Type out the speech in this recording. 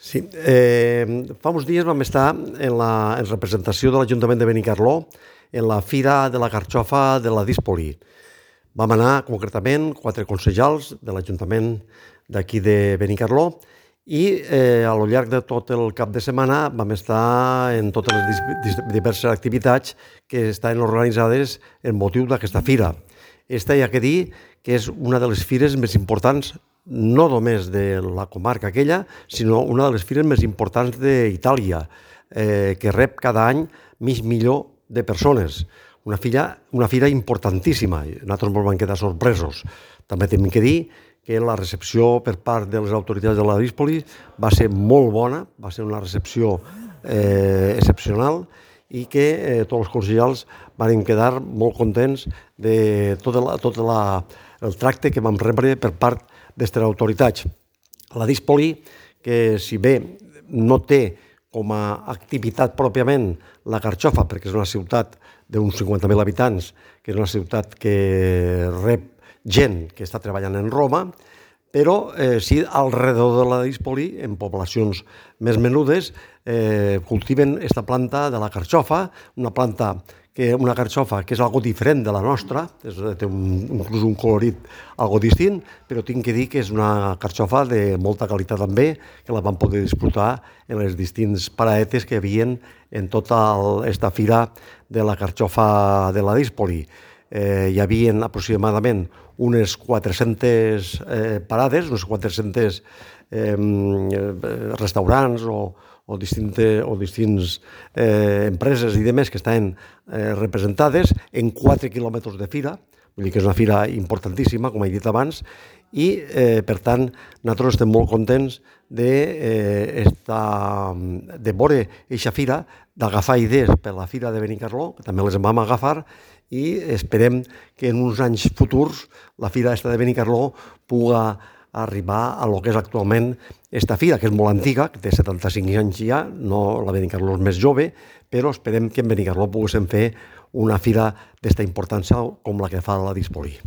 Sí, fa uns dies vam estar en representació de l'Ajuntament de Benicarló en la Fira de la Carxofa de la Díspoli. Vam anar concretament 4 concejals de l'Ajuntament d'aquí de Benicarló i al llarg de tot el cap de setmana vam estar en totes les diverses activitats que estan organitzades en motiu d'aquesta fira. Esta hi ha que dir que és una de les fires més importants no només de la comarca aquella, sinó una de les fires més importants d'Itàlia, que rep cada any mig milió de persones. Una fira importantíssima. Nosaltres ens vam quedar sorpresos. També hem de dir que la recepció per part de les autoritats de la Díspoli va ser molt bona, va ser una recepció excepcional i que tots els concejals van quedar molt contents de tot el tracte que vam rebre per part d'aquestes autoritats. La Díspoli, que si bé no té com a activitat pròpiament la Carxofa, perquè és una ciutat d'uns 50.000 habitants, que és una ciutat que rep gent que està treballant en Roma, però sí, al redor de la Díspoli, en poblacions més menudes, cultiven aquesta planta de la carxofa, una carxofa que és algo diferent de la nostra, té inclús un colorit algo distint, però tinc que dir que és una carxofa de molta qualitat també, que la vam poder disfrutar en les distints paradetes que hi havia en tota aquesta fira de la carxofa de la Díspoli. Hi havia aproximadament unes 400 parades, unes 400 restaurants o distintes empreses i demés que estan representades en 4 quilòmetres de fira, vull dir que és una fira importantíssima, com he dit abans, i per tant nosaltres estem molt contents de veure aquesta fira, d'agafar idees per la fira de Benicarló, que també les vam agafar, i esperem que en uns anys futurs la fira de Benicarló pugui arribar a lo que és actualment esta fira, que és molt antiga, que té 75 anys ja, no la Benicarló és més jove, però esperem que en Benicarló poguéssim fer una fira d'esta importància com la que fa la Díspoli.